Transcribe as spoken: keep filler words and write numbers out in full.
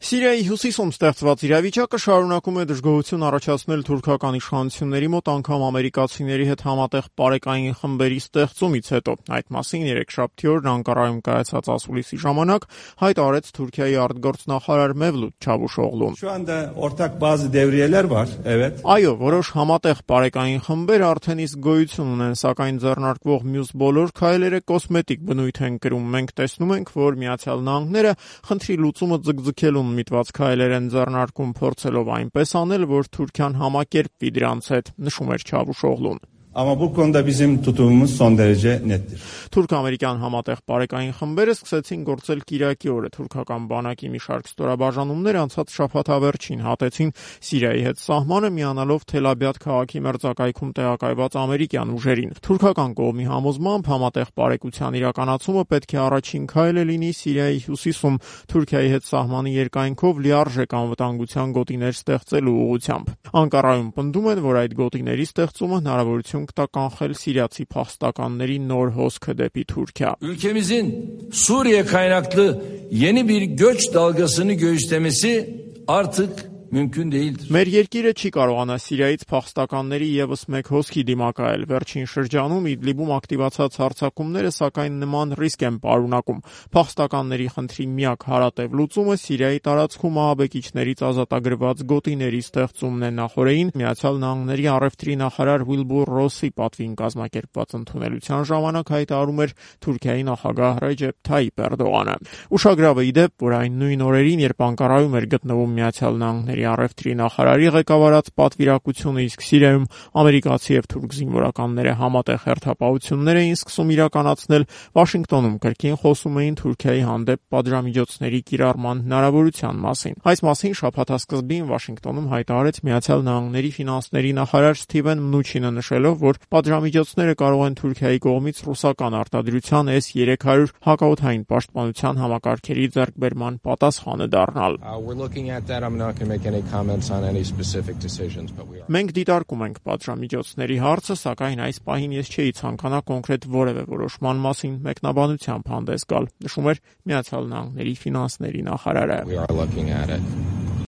Սիրիայի հյուսիսում ստեղծված իրավիճակը շարունակում է դժգոհություն առաջացնել թուրքական իշխանությունների մոտ անգամ ամերիկացիների հետ համատեղ պարեկային խմբերի ստեղծումից հետո։ Այդ մասին երեքշաբթի օրն Անկարայում կայացած ասուլիսի ժամանակ հայտ արեց Թուրքիայի արտգործնախարար Մևլութ Չավուշօղլուն։ Այո, որոշ համատեղ պարեկային խմբեր արդեն իսկ գոյություն ունեն, սակայն ձեռնարկվող մյուս բոլոր քայլերը կոսմետիկ բնույթ են կրում։ Մենք տեսնում ենք, որ Միացյալ Նահանգները խնդրի լուծումը ձգձգելուն միտված քայլեր են ձեռնարկում, փորձելով այնպես անել, որ Թուրքիան համակերպվի դրանց հետ, նշում էր Չավուշօղլուն։ Թուրք-ամերիկյան համատեղ պարեկային խմբերը սկսեցին գործել կիրակի օրը։ Թուրքական բանակի մի շարք ստորաբաժանումներ անցած շաբաթավերջին հատեցին Սիրիայի հետ սահմանը, միանալով Թել-Աբիադ քաղաքի մերձակայքում տեղակայված ամերիկյան ուժերին։ Թուրքական կողմի համոզմամբ համատեղ պարեկության իրականացումը պետք է առաջին քայլը լինի Սիրիայի հյուսիսում Թուրքիայի հետ սահմանի երկայնքով լիարժեք անվտանգության գոտիներ ստեղծելու ուղղությամբ։ Անկարայում պնդում են, որ այդ գոտիների ստեղծումը հնարավորություն կտա կանխել սիրիացի փախստականների նոր հոսքը դեպի Թուրքիա։ Ülkemizin Suriye kaynaklı yeni bir göç dalgasını göğüslemesi artık mümkün değildir. Մեր երկիրը չի կարողանա Սիրիայից փախստականների եւս մեկ հոսքի դիմակայել։ Վերջին շրջանում Իդլիբում ակտիվացած հարձակումները սակայն նման ռիսկ են պարունակում։ Փախստականների խնդրի միակ հարատև լուծումը Սիրիայի տարածքում ահաբեկիչներից ազատագրված գոտիների ստեղծումն է։ Նախորդին Միացյալ Նահանգների առևտրի նախարար Ուիլբուր Ռոսի պատվին կազմակերպված ընդունելության ժամանակ հայտարարում էր Թուրքիայի նախագահ Ռեջեփ Թայիփ Էրդողանը։ Ուշագրավ է ի դեպ, որ այն նույն օրերին, երբ Անկարայում էր գտնվում Միացյալ Նահանգների առևտրի նախարարի ղեկավարած պատվիրակությունը, իսկ Սիրիայում ամերիկացի եւ թուրք զինվորականները համատեղ հերթապահություններ էին սկսում իրականացնել, Վաշինգտոնում կրկին խոսում էին Թուրքիայի հանդեպ պատժամիջոցների կիրառման հնարավորության մասին։ Այս մասին շաբաթասկզբին Վաշինգտոնում հայտարարեց Միացյալ Նահանգների ֆինանսների նախարար Սթիվեն Մնուչինը, նշելով, որ պատժամիջոցները կարող են Թուրքիայի կողմից ռուսական արտադրության էս երեք հարյուր հակաօդային պաշտպանության համակարգերի ձեռքբերման պատասխանը դառնալ։ Մենք դիտարկում ենք պատժամիջոցների հարցը, սակայն այս պահին ես չէի ցանկանա կոնկրետ որևէ որոշման մասին մեկնաբանությամբ հանդես գալ, նշում էր Միացյալ Նահանգների ֆինանսների նախարարը։